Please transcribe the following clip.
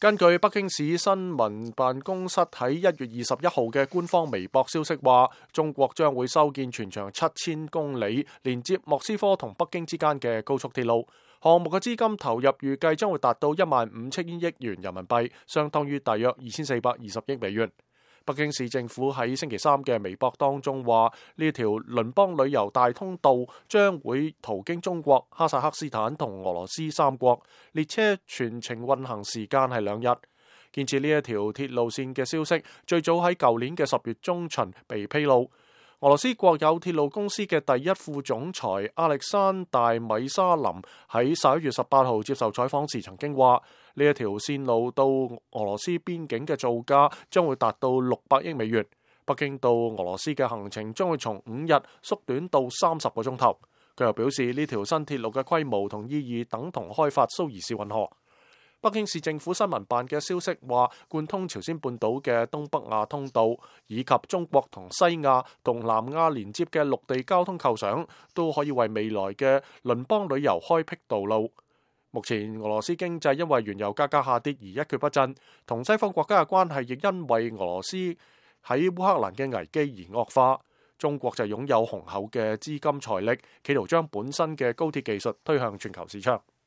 根據北京市新聞辦公室喺1月21號嘅官方微博消息話，中國將會修建全長7000公里，連接莫斯科同北京之間嘅高速鐵路。項目嘅資金投入預計將會達到15000億元人民幣，相當於大約2420億美元。北京市政府喺星期三嘅微博當中話，呢條鄰邦旅遊大通道將會途經中國、哈薩克斯坦同俄羅斯3國，列車全程運行時間係2日。建設呢一條鐵路線嘅消息最早喺舊年嘅10月中旬被披露。俄羅斯國有鐵路公司嘅第一副總裁亞歷山大米沙林喺11月18號接受採訪時曾經話，呢一條線路到俄羅斯邊境嘅造價將會達到600億美元。北京到俄羅斯嘅行程將會從5日縮短到30個鐘頭。佢又表示，呢條新鐵路嘅規模同意義等同開發蘇伊士運河。北京市政府新聞辦嘅消息話，貫通朝鮮半島嘅東北亞通道以及中國同西亞同南亞連接嘅陸地交通構想，都可以為未來嘅鄰邦旅遊開闢道路。目前俄羅斯經濟因為原油價格下跌而一蹶不振，同西方國家嘅關係亦因為俄羅斯喺烏克蘭嘅危機而惡化。中國就擁有雄厚嘅資金財力，企圖將本身嘅高鐵技術推向全球市場。